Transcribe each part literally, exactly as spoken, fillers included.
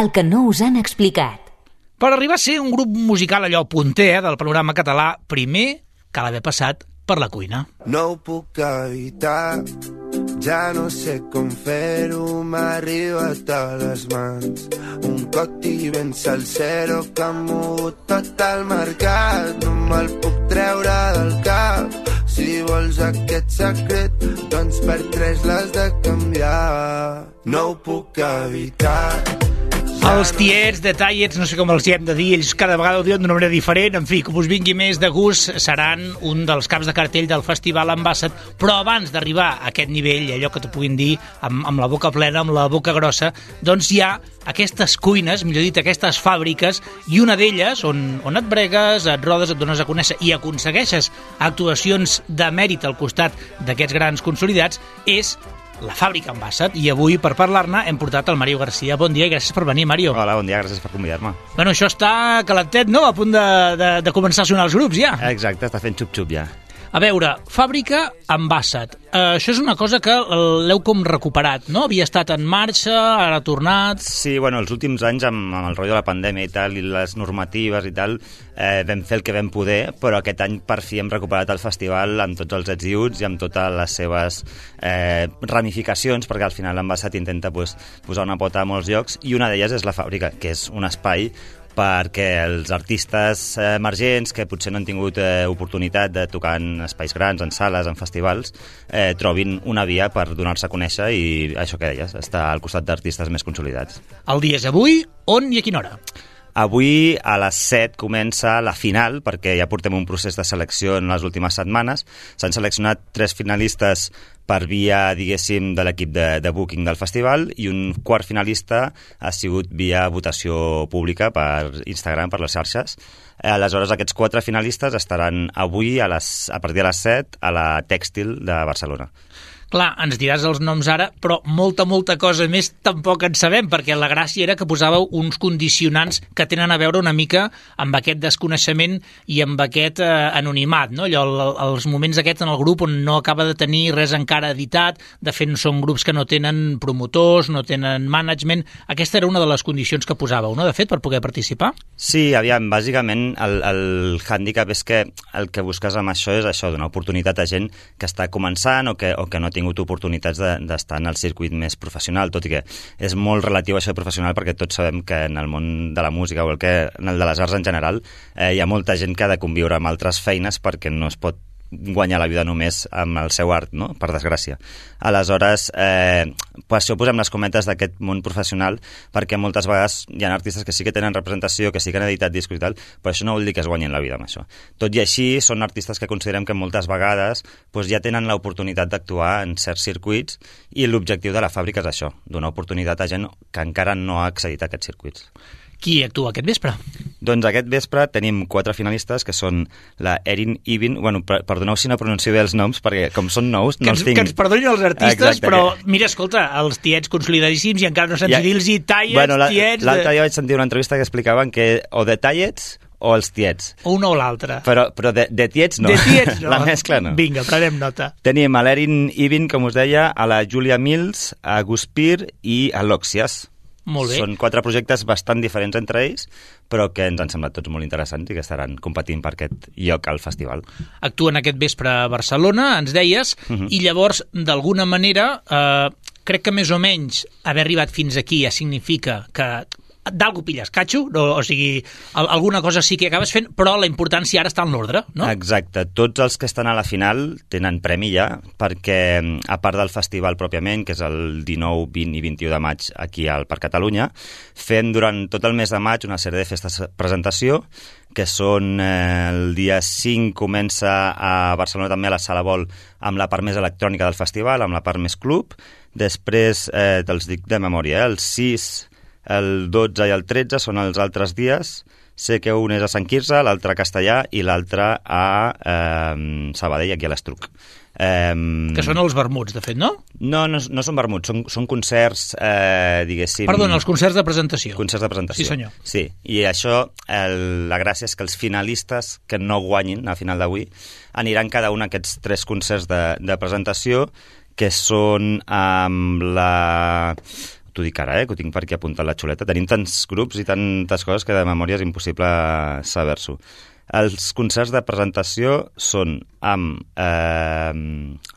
el que no us han explicat. Per arribar a ser un grup musical allò punter eh, del panorama català, primer cal haver passat per la cuina. No ho puc evitar, ja no sé com fer-ho, m'ha arribat a les mans. Un coti ben salsero que ha mogut tot el mercat. No me'l puc treure del cap. Si vols aquest secret, doncs per tres l'has de canviar. No ho puc evitar. Els tiets, detallets, no sé com els hi hem de dir, ells cada vegada ho diuen d'una manera diferent. En fi, com us vingui més de gust, seran un dels caps de cartell del Festival Ambassat, però abans d'arribar a aquest nivell, allò que t'ho puguin dir amb, amb la boca plena, amb la boca grossa, doncs hi ha aquestes cuines, millor dit, aquestes fàbriques, i una d'elles, on, on et bregues, et rodes, et dones a conèixer i aconsegueixes actuacions de mèrit al costat d'aquests grans consolidats, és la fàbrica Ambassat, i avui per parlar-ne hem portat el Mario García. Bon dia i gràcies per venir, Mario. Hola, bon dia, gràcies per convidar-me. Bueno, això està calentet, no? A punt de, de, de començar a sonar els grups, ja. Exacte, està fent xup-xup ja. A veure, fàbrica Ambassat. Uh, això és una cosa que l'heu com recuperat, no? Havia estat en marxa, ara ha tornat... Sí, bueno, els últims anys amb, amb el rotllo de la pandèmia i tal, i les normatives i tal, eh, vam fer el que vam poder, però aquest any per fi hem recuperat el festival amb tots els ets i uts i amb totes les seves eh, ramificacions, perquè al final l'Ambassat intenta pues, posar una pota a molts llocs, i una d'elles és la fàbrica, que és un espai perquè els artistes emergents que potser no han tingut eh, oportunitat de tocar en espais grans, en sales, en festivals, eh, trobin una via per donar-se a conèixer i això que deies, estar al costat d'artistes més consolidats. El dia és avui, on i a quina hora? Avui a les set comença la final, perquè ja portem un procés de selecció en les últimes setmanes. S'han seleccionat tres finalistes per via, diguéssim, de l'equip de, de booking del festival, i un quart finalista ha sigut via votació pública per Instagram, per les xarxes. Aleshores, aquests quatre finalistes estaran avui a, les, a partir de les set a la Tèxtil de Barcelona. Clar, ens diràs els noms ara, però molta, molta cosa més tampoc en sabem, perquè la gràcia era que posàveu uns condicionants que tenen a veure una mica amb aquest desconeixement i amb aquest eh, anonimat, no? Allò, els moments aquests en el grup on no acaba de tenir res encara editat, de fet són grups que no tenen promotors, no tenen management. Aquesta era una de les condicions que posàveu, no?, de fet, per poder participar? Sí, aviam, bàsicament el, el hàndicap és que el que busques amb això és això, donar oportunitat a gent que està començant o que, o que no té tingut oportunitats d'estar de, en el circuit més professional, tot i que és molt relatiu això de professional, perquè tots sabem que en el món de la música o el que, en el de les arts en general eh, hi ha molta gent que ha de conviure amb altres feines perquè no es pot guanyar la vida només amb el seu art, no?, per desgràcia. Aleshores, eh, per això posem les cometes d'aquest món professional, perquè moltes vegades hi ha artistes que sí que tenen representació, que sí que han editat discos i tal, però això no vol dir que es guanyin la vida amb això. Tot i així, són artistes que considerem que moltes vegades doncs, ja tenen l'oportunitat d'actuar en certs circuits, i l'objectiu de la fàbrica és això, donar oportunitat a gent que encara no ha accedit a aquests circuits. Qui actua aquest vespre? Doncs aquest vespre tenim quatre finalistes, que són la Erin Ivin, bueno, perdoneu si no pronuncio bé els noms, perquè com són nous, no els tinc... Que ens perdonin els artistes, exacte, però que... mira, escolta, els tiets consolidadíssims i encara no saps ja... dir-los tallets, bueno, la, tiets... L'altre dia vaig sentir una entrevista que explicaven que o de tallets o els tiets. Una o l'altra. Però, però de, de tiets no. De tiets no. La mescla no. Vinga, prenem nota. Tenim a l'Erin Ivin, com us deia, a la Julia Mills, a Guspir i a l'Oxias. Molt bé. Són quatre projectes bastant diferents entre ells, però que ens han semblat tots molt interessants i que estaran competint per aquest lloc al festival. Actuen aquest vespre a Barcelona, ens deies, uh-huh. i llavors, d'alguna manera, eh, crec que més o menys haver arribat fins aquí ja significa que d'algú pilles catxo, o, o sigui, alguna cosa sí que acabes fent, però la importància ara està en l'ordre, no? Exacte. Tots els que estan a la final tenen premi ja, perquè a part del festival pròpiament, que és el dinou, vint i vint-i-u de maig aquí al Parc Catalunya, fem durant tot el mes de maig una sèrie de festes de presentació, que són eh, el dia cinc comença a Barcelona també a la Sala Vol amb la part més electrònica del festival, amb la part més club. Després, eh, te'ls dic de memòria, eh, el sis... el dotze i el tretze són els altres dies. Sé que un és a Sant Quirze, l'altre a Castellà i l'altre a eh, Sabadell, aquí a l'Estruc. Eh, que són els vermuts, de fet, no? No, no, no són vermuts, són, són concerts, eh, diguéssim... Perdona, els concerts de presentació. Concerts de presentació. Sí, senyor. Sí, i això, el, la gràcia és que els finalistes que no guanyin a final d'avui aniran cada un a aquests tres concerts de, de presentació, que són amb la... t'ho dic ara, eh, que ho tinc per aquí apuntat la xuleta. Tenim tants grups i tantes coses que de memòria és impossible saber-s'ho. Els concerts de presentació són amb eh,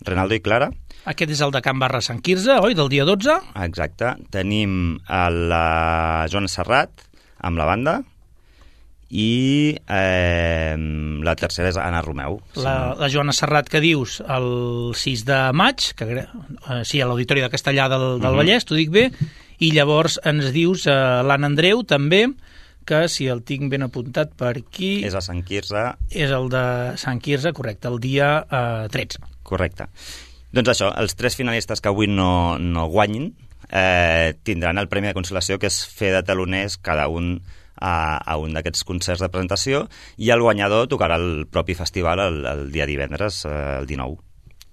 Renaldo i Clara. Aquest és el de Can Barra Sant Quirze, oi? Del dia dotze? Exacte. Tenim a la Joana Serrat amb la banda i eh, la tercera és Anna Romeu. La, la Joana Serrat que dius el sis de maig, que, eh, sí, a l'Auditori de Castellà del, del uh-huh. Vallès, t'ho dic bé, i llavors ens dius eh, l'Anna Andreu també, que si el tinc ben apuntat per aquí... És a Sant Quirze. És el de Sant Quirze, correcte, el dia eh, tretze. Correcte. Doncs això, els tres finalistes que avui no, no guanyin eh, tindran el premi de consolació, que és fer de taloners cada un a, a un d'aquests concerts de presentació, i el guanyador tocarà el propi festival el, el dia divendres, eh, el dinou.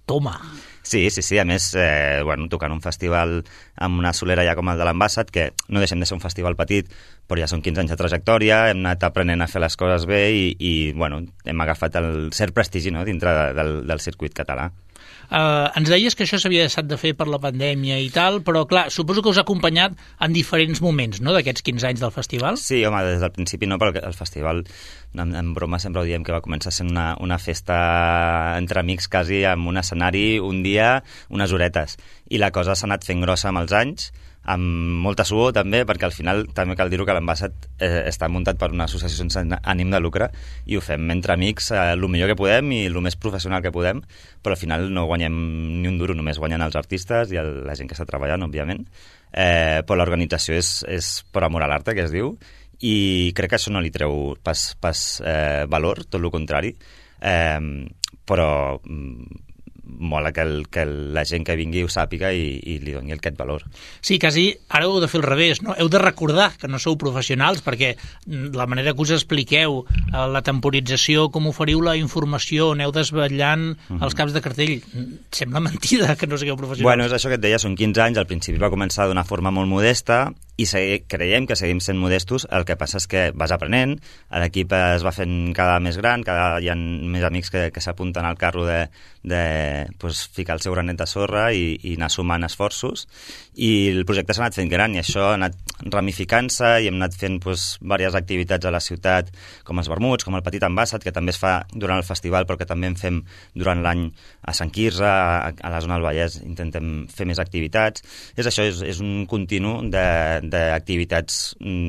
Toma! Sí, sí, sí. A més, eh, bueno, tocant un festival amb una solera ja com el de l'Ambassat, que no deixem de ser un festival petit, però ja són quinze anys de trajectòria, hem anat aprenent a fer les coses bé i, i bueno, hem agafat el cert prestigi, no?, dintre de, del, del circuit català. Uh, ens deies que això s'havia deixat de fer per la pandèmia i tal, però clar, suposo que us ha acompanyat en diferents moments, no?, d'aquests quinze anys del festival? Sí, home, des del principi no, perquè el festival, en, en broma sempre ho diem, que va començar sent una, una festa entre amics quasi, amb un escenari, un dia, unes horetes, i la cosa s'ha anat fent grossa amb els anys, amb molta suor també, perquè al final també cal dir-ho que l'Ambassat eh, està muntat per una associació sense ànim de lucre i ho fem entre amics eh, el millor que podem i el més professional que podem, però al final no guanyem ni un duro, només guanyen els artistes i el, la gent que està treballant, òbviament, eh, però l'organització és, és per amor a l'arte, que es diu, i crec que això no li treu pas, pas eh, valor, tot el contrari, eh, però mola que, el, que la gent que vingui ho sàpiga i, i li doni aquest valor. Sí, quasi ara heu de fer el revés, no? Heu de recordar que no sou professionals, perquè la manera que us expliqueu la temporització, com oferiu la informació, aneu desvetllant mm-hmm. els caps de cartell, sembla mentida que no sigueu professionals. Bueno, és això que et deia, són quinze anys, al principi va començar d'una forma molt modesta i segui, creiem que seguim sent modestos, el que passa és que vas aprenent, l'equip es va fent cada més gran, cada hi ha més amics que, que s'apunten al carro de, de pues, ficar el seu granet de sorra i, i anar sumant esforços, i el projecte s'ha anat fent gran i això ha anat ramificant-se i hem anat fent pues, diverses activitats a la ciutat, com els vermuts, com el Petit Ambassat, que també es fa durant el festival però que també en fem durant l'any a Sant Quirze, a, a la zona del Vallès intentem fer més activitats. És això, és, és un continu d'activitats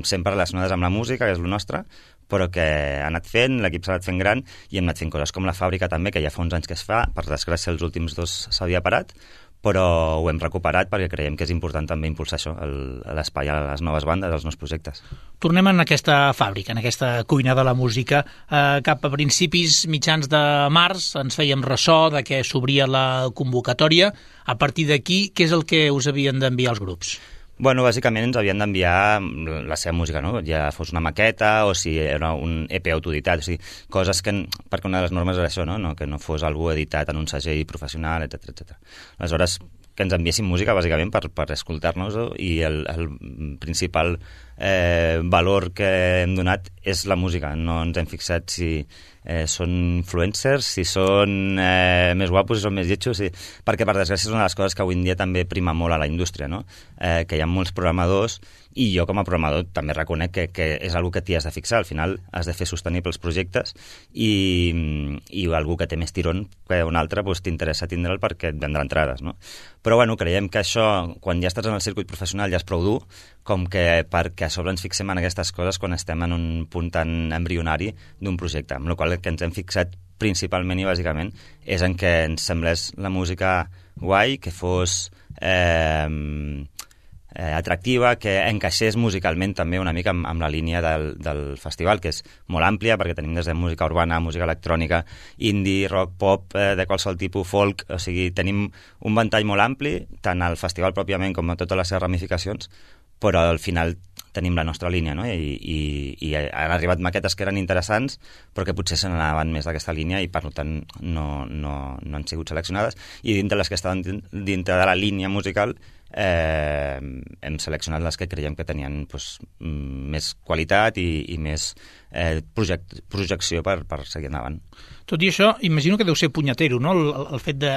sempre relacionades amb la música, que és el nostre, però que ha anat fent, l'equip s'ha anat fent gran i hem anat fent coses com la fàbrica també, que ja fa uns anys que es fa, per desgràcia els últims dos s'havia parat, però ho hem recuperat perquè creiem que és important també impulsar això, l'espai a les noves bandes, als nous projectes. Tornem en aquesta fàbrica, en aquesta cuina de la música. Eh, cap a principis mitjans de març ens fèiem ressò de que s'obria la convocatòria. A partir d'aquí, què és el que us havien d'enviar els grups? Bueno, bàsicament ens havien d'enviar la seva música, no? Ja fos una maqueta o si era un E P autoeditat, o sigui, coses que, perquè una de les normes era això, no? No, que no fos algú editat en un segell professional, etcètera, etcètera. Aleshores, que ens enviessin música, bàsicament, per, per escoltar-nos, i el, el principal eh, valor que hem donat és la música. No ens hem fixat si eh, són influencers, si són eh, més guapos, si són més lletjos, si... perquè, per desgràcia, és una de les coses que avui en dia també prima molt a la indústria, no? Eh, que hi ha molts programadors, i jo com a programador també reconec que, que és algú que t'hi has de fixar. Al final has de fer sostenibles projectes i, i algú que té més tirón que un altre doncs, t'interessa tindre'l perquè et vendrà entrades, no? Però bueno, creiem que això, quan ja estàs en el circuit professional, ja és prou dur, com que perquè a sobre ens fixem en aquestes coses quan estem en un punt tan embrionari d'un projecte, amb la qual que ens hem fixat principalment i bàsicament és en què ens semblés la música guai, que fos eh, eh, atractiva, que encaixés musicalment també una mica amb, amb la línia del, del festival, que és molt àmplia, perquè tenim des de música urbana, música electrònica, indie, rock, pop, eh, de qualsevol tipus, folk, o sigui, tenim un ventall molt ampli, tant al festival pròpiament com a totes les seves ramificacions, però al final tenim la nostra línia, no? I, i, i han arribat maquetes que eren interessants, però que potser se n'anaven més d'aquesta línia i, per tant, no, no, no han sigut seleccionades. I dintre les que estaven dintre de la línia musical eh, hem seleccionat les que creiem que tenien pues, més qualitat i, i més eh, project, projecció per, per seguir endavant. Tot i això, imagino que deu ser punyetero, no?, el, el fet de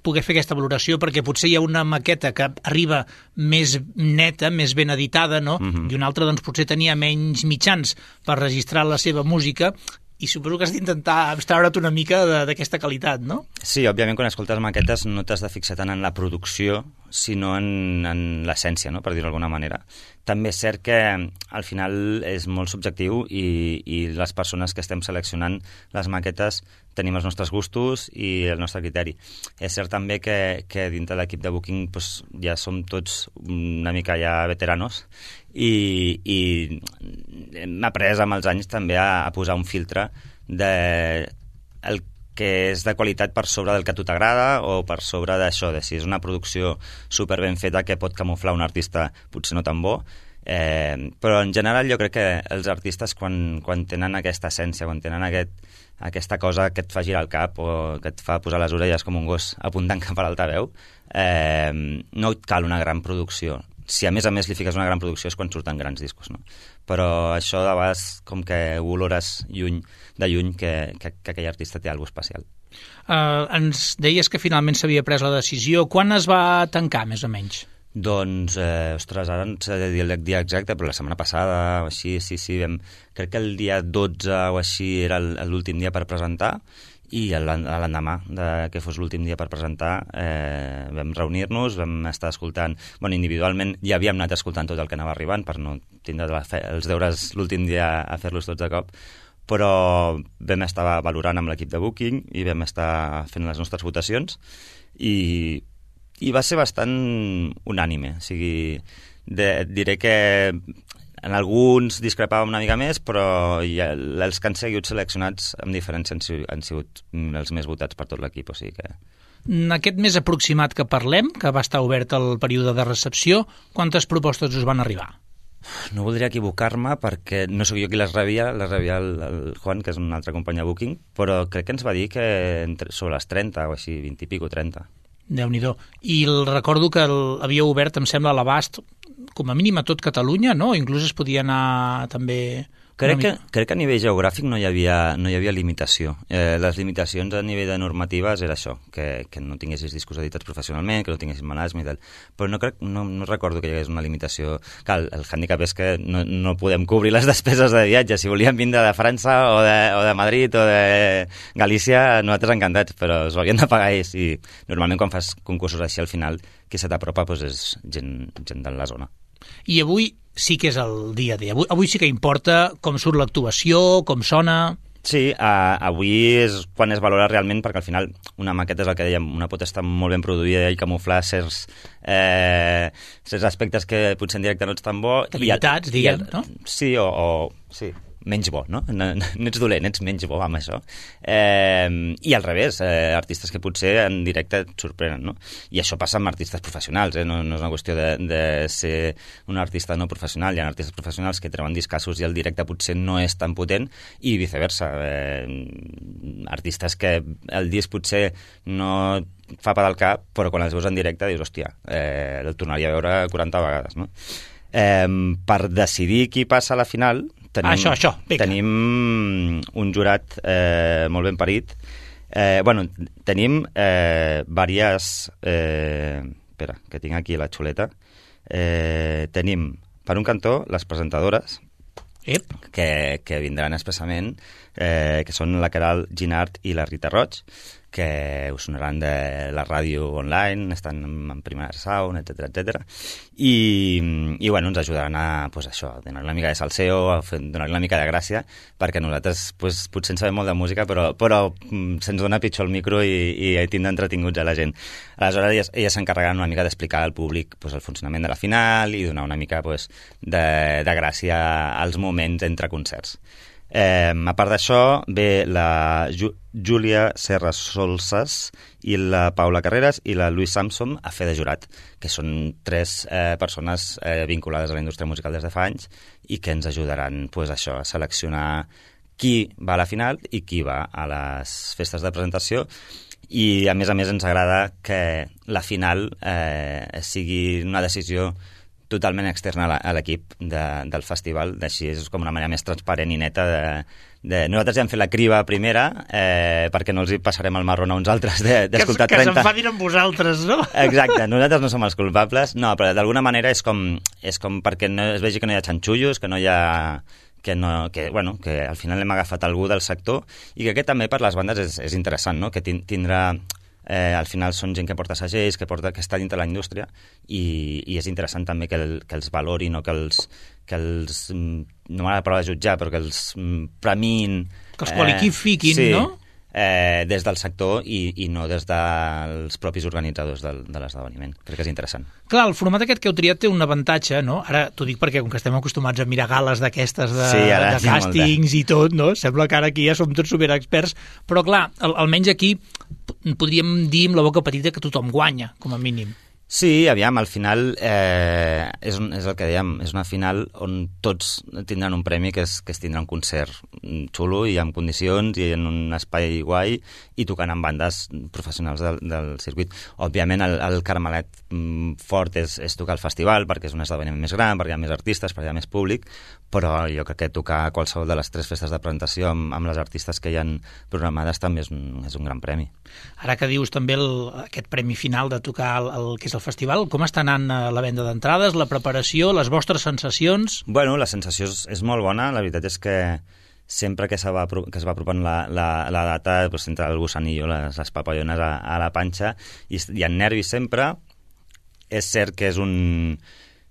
poder fer aquesta valoració, perquè potser hi ha una maqueta que arriba més neta, més ben editada, no? Uh-huh. I una altra doncs, potser tenia menys mitjans per registrar la seva música, i suposo que has d'intentar abstraure't una mica d'aquesta qualitat, no? Sí, òbviament quan escoltes maquetes no t'has de fixar tant en la producció, sinó en, en l'essència, no? Per dir-ho d'alguna manera. També és cert que al final és molt subjectiu i, i les persones que estem seleccionant les maquetes tenim els nostres gustos i el nostre criteri. És cert també que, que dintre de l'equip de Booking pues, ja som tots una mica ja veteranos i, i hem après amb els anys també a, a posar un filtre de el que és de qualitat per sobre del que a tu t'agrada o per sobre d'això, de si és una producció super ben feta que pot camuflar un artista potser no tan bo, eh, però en general jo crec que els artistes quan, quan tenen aquesta essència, quan tenen aquest, aquesta cosa que et fa girar el cap o que et fa posar les orelles com un gos apuntant cap a l'altaveu, eh, no et cal una gran producció. Si a més a més li fiques una gran producció és quan surten grans discos, no? Però això de vegades com que ho olores lluny, de lluny que, que, que aquell artista té alguna especial. Uh, ens deies que finalment s'havia pres la decisió. Quan es va tancar, més o menys? Doncs, eh, ostres, ara no sé dir el dia exacte, però la setmana passada o així, sí, sí, vam, crec que el dia dotze o així era l'últim dia per presentar, i l'endemà de que fos l'últim dia per presentar eh, vam reunir-nos, vam estar escoltant, bueno, individualment ja havíem anat escoltant tot el que anava arribant per no tindre la fe, els deures l'últim dia a fer-los tots de cop, però vam estar valorant amb l'equip de Booking i vam estar fent les nostres votacions i, i va ser bastant unànime, o sigui, de, diré que en alguns discrepàvem una mica més, però ja, els que han sigut seleccionats amb diferència han, han sigut els més votats per tot l'equip. O sigui que... Aquest mes aproximat que parlem, que va estar obert el període de recepció, quantes propostes us van arribar? No voldria equivocar-me perquè no sóc jo qui les rebia, les rebia el, el Juan, que és un altre company de Booking, però crec que ens va dir que entre, sobre les trenta o així, vint i pico, trenta. Déu-n'hi-do. I el, recordo que el, havia obert, em sembla, a l'abast com a mínim a tot Catalunya, no? Inclús es podia anar també... Crec que, crec que a nivell geogràfic no hi havia, no hi havia limitació. Eh, les limitacions a nivell de normatives era això, que, que no tinguessis discos editats professionalment, que no tinguessis management i tal. Però no, crec, no, no recordo que hi hagués una limitació. Clar, el, el hàndicap és que no, no podem cobrir les despeses de viatge. Si volíem vindre de França o de, o de Madrid o de Galícia, nosaltres encantats, però s'ho havien de pagar ells. I normalment quan fas concursos així al final, qui se t'apropa doncs és gent, gent de la zona. I avui sí que és el dia a dia. Avui, avui sí que importa com surt l'actuació, com sona... Sí, uh, avui és quan es valora realment, perquè al final una maqueta és el que dèiem, una pot estar molt ben produïda i camuflar certs, eh, certs aspectes que potser en directe no ets tan bo. Debilitats, diguem, no? Sí, o... o sí. menys bo, no? No, no ets dolent, ets menys bo amb això. Eh, I al revés, eh, artistes que potser en directe et sorprenen, no? I això passa amb artistes professionals, eh? No, no és una qüestió de, de ser un artista no professional. Hi ha artistes professionals que treuen discassos i el directe potser no és tan potent i viceversa. Eh, artistes que el disc potser no fa per al cap, però quan els veus en directe dius, hòstia, eh, el tornaria a veure quaranta vegades, no? Eh, per decidir qui passa a la final tenim, això, això, tenim un jurat eh, molt ben parit. Eh, bueno, tenim eh, diverses... Eh, espera, que tinc aquí la xuleta. Eh, tenim, per un cantó, les presentadores, Ep. que, que vindran expressament, eh, que són la Caral Ginart i la Rita Roig, que us sonaran de la ràdio online, estan en Primera Sound, etcètera, etcètera. I, i bueno, ens ajudaran a, pues, això, a donar una mica de salseo, a fer, donar una mica de gràcia, perquè nosaltres pues, potser en sabem molt de música, però, però se'ns dona pitjor el micro i, i tindre entretinguts a la gent. Aleshores, elles, elles s'encarregaran una mica d'explicar al públic pues, el funcionament de la final i donar una mica pues, de, de gràcia als moments entre concerts. Eh, a part d'això, ve la Ju Júlia Serra Solsas i la Paula Carreras i la Louise Samson a fer de jurat, que són tres eh, persones eh, vinculades a la indústria musical des de fa anys i que ens ajudaran pues, això, a seleccionar qui va a la final i qui va a les festes de presentació. I, a més a més, ens agrada que la final eh, sigui una decisió totalment externa a l'equip de, del festival, així és com una manera més transparent i neta de, de... Nosaltres ja hem fet la criba primera eh, perquè no els hi passarem el marrón a uns altres d'escoltar que, que trenta... Que s'enfadin amb vosaltres, no? Exacte, nosaltres no som els culpables, no, però d'alguna manera és com, és com perquè no es vegi que no hi ha xanxullos, que no hi ha... Que, no, que, bueno, que al final hem agafat algú del sector i que aquest també per les bandes és, és interessant, no? Que tindrà... Eh, al final són gent que porta segells, que, porta, que està dintre la indústria i, i és interessant també que, el, que els valorin o que els, que els no m'agrada la paraula de jutjar, però que els premin... Que els qualifiquin, eh, sí, no? Eh, des del sector i, i no des dels propis organitzadors del, de l'esdeveniment. Crec que és interessant. Clar, el format aquest que heu triat té un avantatge, no? Ara t'ho dic perquè com que estem acostumats a mirar gales d'aquestes de, sí, de càstings i tot, no? Sembla que ara aquí ja som tots superexperts, però clar, al, almenys aquí podríem dir amb la boca petita que tothom guanya, com a mínim. Sí, aviam, al final eh, és, un, és el que dèiem, és una final on tots tindran un premi que és, que és tindre un concert xulo i amb condicions i en un espai guai i tocant amb bandes professionals del, del circuit. Òbviament el, el Carmelet mm, fort és, és tocar el festival perquè és un esdeveniment més gran, perquè hi ha més artistes, perquè hi ha més públic, però jo crec que tocar qualsevol de les tres festes de presentació amb, amb les artistes que hi han programades també és un, és un gran premi. Ara que dius també el, aquest premi final de tocar el, el que és el festival, com està anant la venda d'entrades, la preparació, les vostres sensacions? Bueno, la sensació és, és molt bona, la veritat és que sempre que, se va, que es va apropant la, la, la data, pues, entra el gusanillo, les, les papallones a, a la panxa, i hi ha nervis sempre. És cert que és un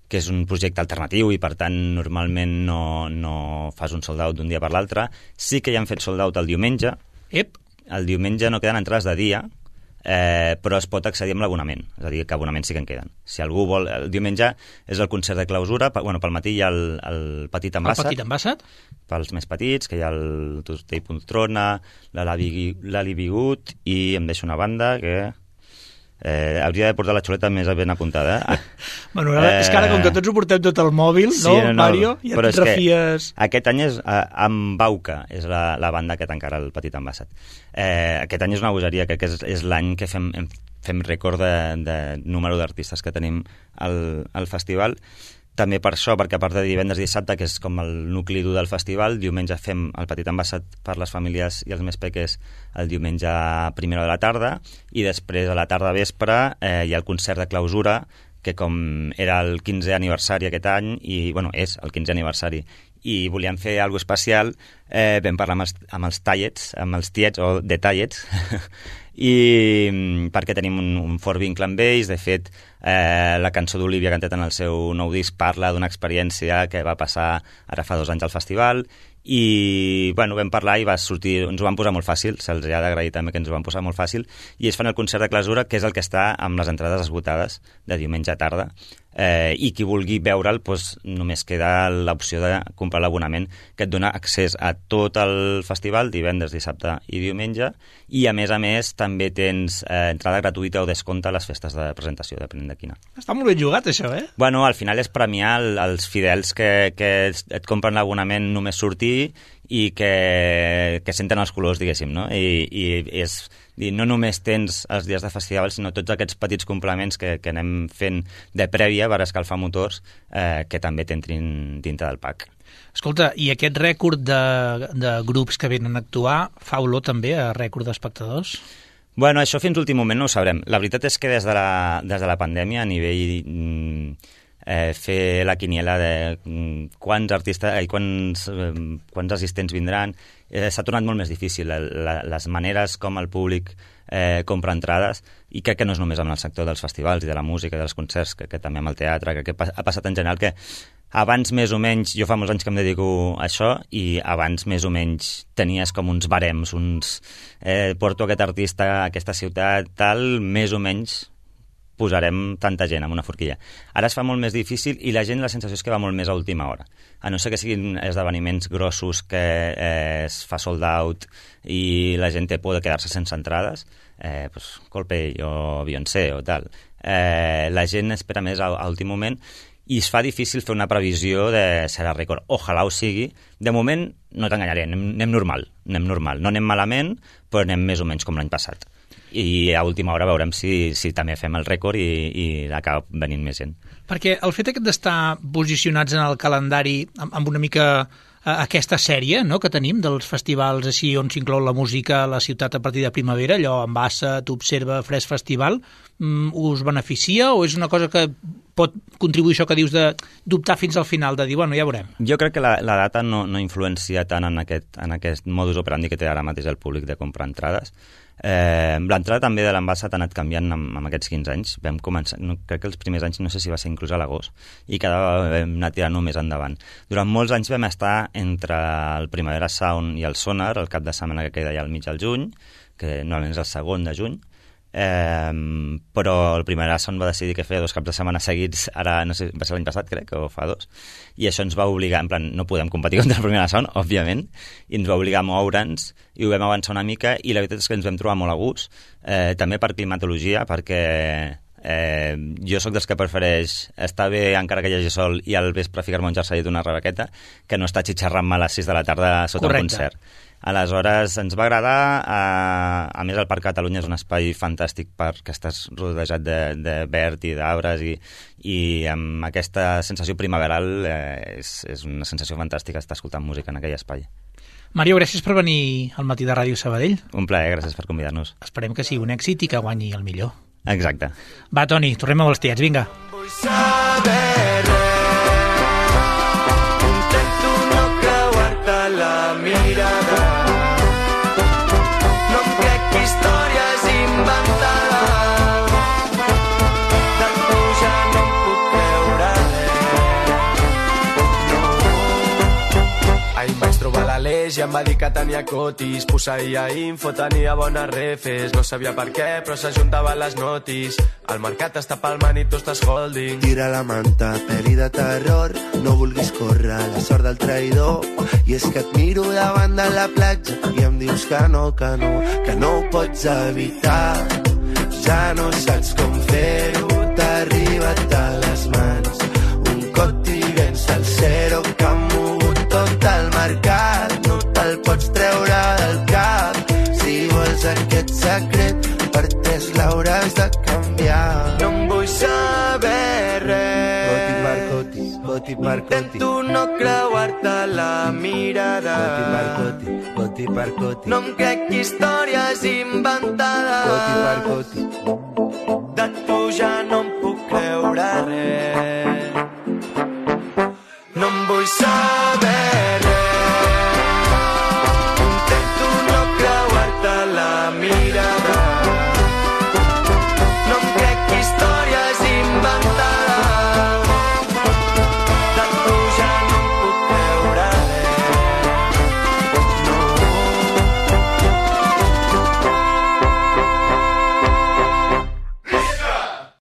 que és un projecte alternatiu i, per tant, normalment no, no fas un sold out d'un dia per l'altre. Sí que ja han fet sold out el diumenge. Ep. El diumenge no queden entrades de dia, eh, però es pot accedir amb l'abonament, és a dir, que abonaments sí que en queden. Si algú vol... El diumenge és el concert de clausura, bueno, pel matí hi ha el, el Petit Envasat. El Petit Envasat? Pels més petits, que hi ha el Tostell Poltrona, l'Ali Bigut, i em deixo una banda que... Eh, hauria de portar la xuleta més ben apuntada. Eh? Bueno, eh, és que ara, com que tots ho portem tot al mòbil, sí, no, no, Mario? Ja et refies... Aquest any és eh, amb Bauca, és la, la banda que tancarà el Petit Envasat. Eh, aquest any és una bogeria, crec que és, és l'any que fem, fem rècord de, de número d'artistes que tenim al, al festival. També per això, perquè a part de divendres i dissabte, que és com el nucli dur del festival, diumenge fem el Petit Envasat per les famílies i els més peques el diumenge a primera de la tarda, i després a la tarda vespre eh, hi ha el concert de clausura, que com era el quinzè aniversari aquest any, i bueno, és el quinzè aniversari, i volíem fer alguna especial, eh, vam parlar amb els, amb els tallets, amb els tiets, o de tallets, i perquè tenim un, un fort vincle amb ells. De fet, eh, la cançó d'Olivia que han tret en el seu nou disc parla d'una experiència que va passar ara fa dos anys al festival, i bueno, vam parlar i va sortir, ens ho van posar molt fàcil, se'ls ha d'agrair també que ens ho van posar molt fàcil, i es fan el concert de clausura, que és el que està amb les entrades esgotades de diumenge a tarda, eh, i qui vulgui veure'l, doncs, només queda l'opció de comprar l'abonament, que et dona accés a tot el festival, divendres, dissabte i diumenge, i a més a més també tens eh, entrada gratuïta o descompte a les festes de presentació, depenent de quina. Està molt ben jugat, això, eh? Bueno, al final és premiar el, els fidels que, que et compren l'abonament només sortir i que, que senten els colors, diguéssim, no? I, i és dir, no només tens els dies de festival, sinó tots aquests petits complements que, que anem fent de prèvia per escalfar motors, eh, que també t'entrin dintre del pack. Escolta, i aquest rècord de, de grups que venen a actuar fa olor també a rècord d'espectadors? Bueno, això fins l'últim moment no ho sabrem. La veritat és que des de la, des de la pandèmia, a nivell... Mm, Eh, fer la quiniela de mm, quants artistes i quants, eh, quants assistents vindran, eh, s'ha tornat molt més difícil. La, la, les maneres com el públic eh, compra entrades, i crec que no és només amb el sector dels festivals i de la música i dels concerts, que, que també amb el teatre, que, que ha passat en general, que abans més o menys, jo fa molts anys que em dedico a això, i abans més o menys tenies com uns barems, uns eh, porto aquest artista a aquesta ciutat, tal, més o menys posarem tanta gent amb una forquilla. Ara es fa molt més difícil i la gent, la sensació és que va molt més a última hora. A no ser que siguin esdeveniments grossos que eh, es fa sold out i la gent té por de quedar-se sense entrades, eh, pues, Coldplay o Beyoncé o tal. Eh, la gent espera més a, a últim moment i es fa difícil fer una previsió de serà rècord. Ojalà ho sigui. De moment, no t'enganyaré, anem, anem normal, anem normal. No anem malament, però anem més o menys com l'any passat. i a última hora veurem si, si també fem el rècord i, i acaba venint més gent. Perquè el fet aquest d'estar posicionats en el calendari amb, amb una mica aquesta sèrie, no?, que tenim dels festivals així on s'inclou la música a la ciutat a partir de primavera, allò Embassa, t'Observa, Fresc Festival, us beneficia o és una cosa que pot contribuir això que dius de dubtar fins al final, de dir, bueno, ja veurem? Jo crec que la, la data no, no influencia tant en aquest, en aquest modus operandi que té ara mateix el públic de comprar entrades. Eh, l'entrada també de l'Embassa ha anat canviant amb, amb aquests quinze anys. Vam començar, no, crec que els primers anys no sé si va ser inclús a l'agost i cada vegada vam anar tirant més endavant. Durant molts anys vam estar entre el Primavera Sound i el Sonar, el cap de setmana que queda allà al mig del juny, que normalment és el segon de juny. Eh, però el Primavera Sound va decidir que feia dos caps de setmana seguits, ara no sé, va ser l'any passat crec, o fa dos, i això ens va obligar, en plan, no podem competir contra el Primavera Sound, òbviament, i ens va obligar a moure'ns, i ho vam avançar una mica, i la veritat és que ens vam trobar molt a gust, eh, també per climatologia, perquè eh, jo sóc dels que prefereix estar bé encara que hi hagi sol i al vespre ficar-me un jersei d'una rebequeta que no estar xitxarrant-me a les sis de la tarda sota Correcte. Un concert. Aleshores, ens va agradar, a, a més el Parc Catalunya és un espai fantàstic perquè estàs rodejat de, de verd i d'arbres i, i amb aquesta sensació primaveral eh, és, és una sensació fantàstica estar escoltant música en aquell espai. Mario, gràcies per venir al Matí de Ràdio Sabadell. Un plaer, gràcies per convidar-nos. Esperem que sigui un èxit i que guanyi el millor. Exacte. Va, Toni, tornem amb els tiets, vinga. Vull saber res, intento no creuar-te la mirada. I em va dir que tenia cotis, posseïa info, tenia bones refes, no sabia per què, però s'ajuntava les notis. El mercat està palmant i tu estàs holding. Tira la manta, pel·li de terror, no vulguis córrer la sort del traïdor. I és que et miro davant de la platja i em dius que no, que no, que no ho pots evitar. Ja no saps com fer-ho, t'ha arribat a les mans. Un cot i vens al zero que ha mogut tot el mercat. El pots treure del cap. Si vols aquest secret, per tres l'hauràs de canviar. No em vull saber res. Coti per coti, coti per coti. Intento no creuar-te la mirada. Coti per coti, coti per coti. No em crec històries inventades. Coti per coti.